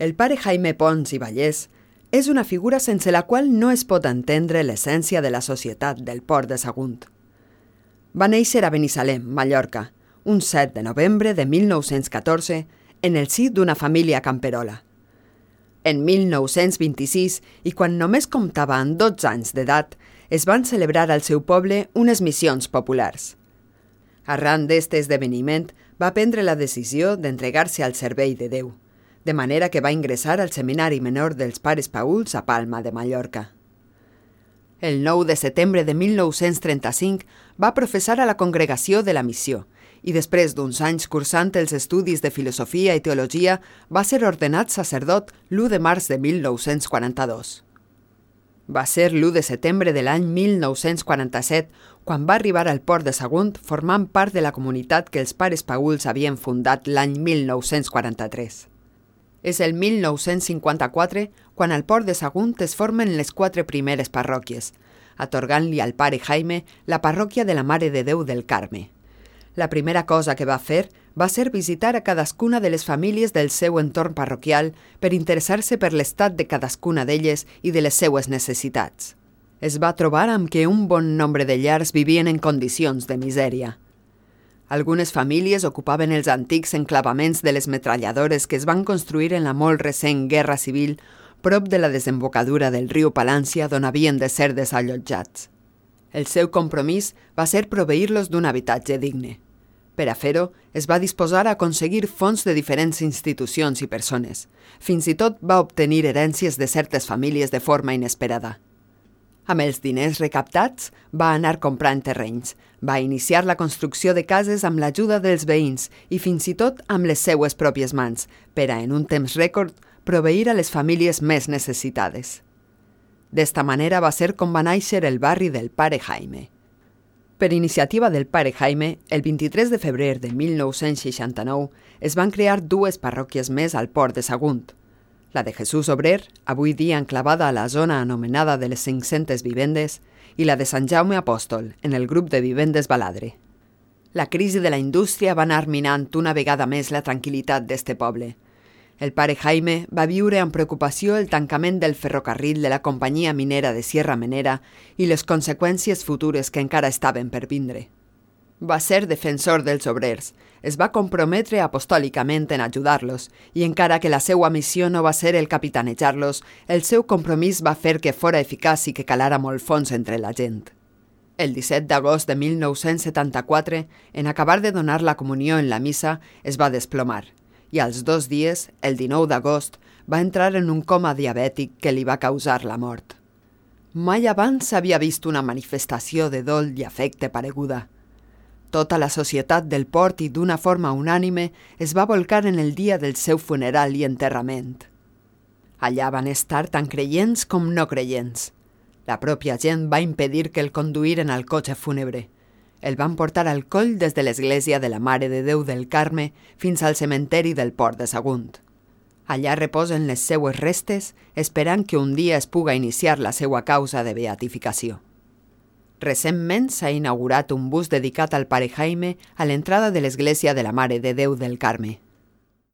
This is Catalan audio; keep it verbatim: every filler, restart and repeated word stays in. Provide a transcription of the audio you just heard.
El pare Jaime Pons i Vallès és una figura sense la qual no es pot entendre l'essència de la societat del Port de Sagunt. Va néixer a Binissalem, Mallorca, un set de novembre de mil nou-cents catorze, en el si d'una família camperola. En mil nou-cents vint-i-sis, i quan només comptava amb dotze anys d'edat, es van celebrar al seu poble unes missions populars. Arran d'este esdeveniment, va prendre la decisió d'entregar-se al servei de Déu, de manera que va ingressar al Seminari Menor dels Pares Pauls a Palma de Mallorca. El nou de setembre de mil nou-cents trenta-cinc va professar a la congregació de la missió i després d'uns anys cursant els estudis de filosofia i teologia va ser ordenat sacerdot l'u de març de mil nou-cents quaranta-dos. Va ser l'u de setembre de l'any mil nou-cents quaranta-set quan va arribar al Port de Sagunt formant part de la comunitat que els Pares Pauls havien fundat l'any mil nou-cents quaranta-tres. És el mil nou-cents cinquanta-quatre quan al Port de Sagunt es formen les quatre primeres parròquies, atorgant-li al pare Jaime la parròquia de la Mare de Déu del Carme. La primera cosa que va fer va ser visitar a cadascuna de les famílies del seu entorn parroquial per interessar-se per l'estat de cadascuna d'elles i de les seues necessitats. Es va trobar amb que un bon nombre de llars vivien en condicions de misèria. Algunes famílies ocupaven els antics enclavaments de les metralladores que es van construir en la molt recent Guerra Civil prop de la desembocadura del riu Palància d'on havien de ser desallotjats. El seu compromís va ser proveir-los d'un habitatge digne. Per a fer-ho, es va disposar a aconseguir fons de diferents institucions i persones. Fins i tot va obtenir herències de certes famílies de forma inesperada. Amb els diners recaptats, va anar comprant terrenys, va iniciar la construcció de cases amb l'ajuda dels veïns i fins i tot amb les seues pròpies mans, per a, en un temps rècord, proveir a les famílies més necessitades. D'esta manera va ser com va néixer el barri del pare Jaime. Per iniciativa del pare Jaime, el vint-i-tres de febrer de mil nou-cents seixanta-nou es van crear dues parròquies més al Port de Sagunt, la de Jesús Obrer, avui dia enclavada a la zona anomenada de les cinc-centes vivendes, i la de Sant Jaume Apòstol, en el grup de vivendes Baladre. La crisi de la indústria va anar minant una vegada més la tranquil·litat d'este poble. El pare Jaime va viure amb preocupació el tancament del ferrocarril de la companyia minera de Sierra Menera i les conseqüències futures que encara estaven per vindre. Va ser defensor dels obrers, es va comprometre apostòlicament en ajudar-los i encara que la seva missió no va ser el capitanejar-los, el seu compromís va fer que fora eficaç i que calara molt fons entre la gent. El disset d'agost de mil nou-cents setanta-quatre, en acabar de donar la comunió en la missa, es va desplomar i als dos dies, el dinou d'agost, va entrar en un coma diabètic que li va causar la mort. Mai abans s'havia vist una manifestació de dol i afecte pareguda. Tota la societat del port i d'una forma unànime es va volcar en el dia del seu funeral i enterrament. Allà van estar tant creients com no creients. La pròpia gent va impedir que el conduïren al cotxe fúnebre. El van portar al coll des de l'església de la Mare de Déu del Carme fins al cementeri del Port de Sagunt. Allà reposen les seues restes, esperant que un dia es puga iniciar la seua causa de beatificació. Recentment s'ha inaugurat un bus dedicat al pare Jaime a l'entrada de l'església de la Mare de Déu del Carme.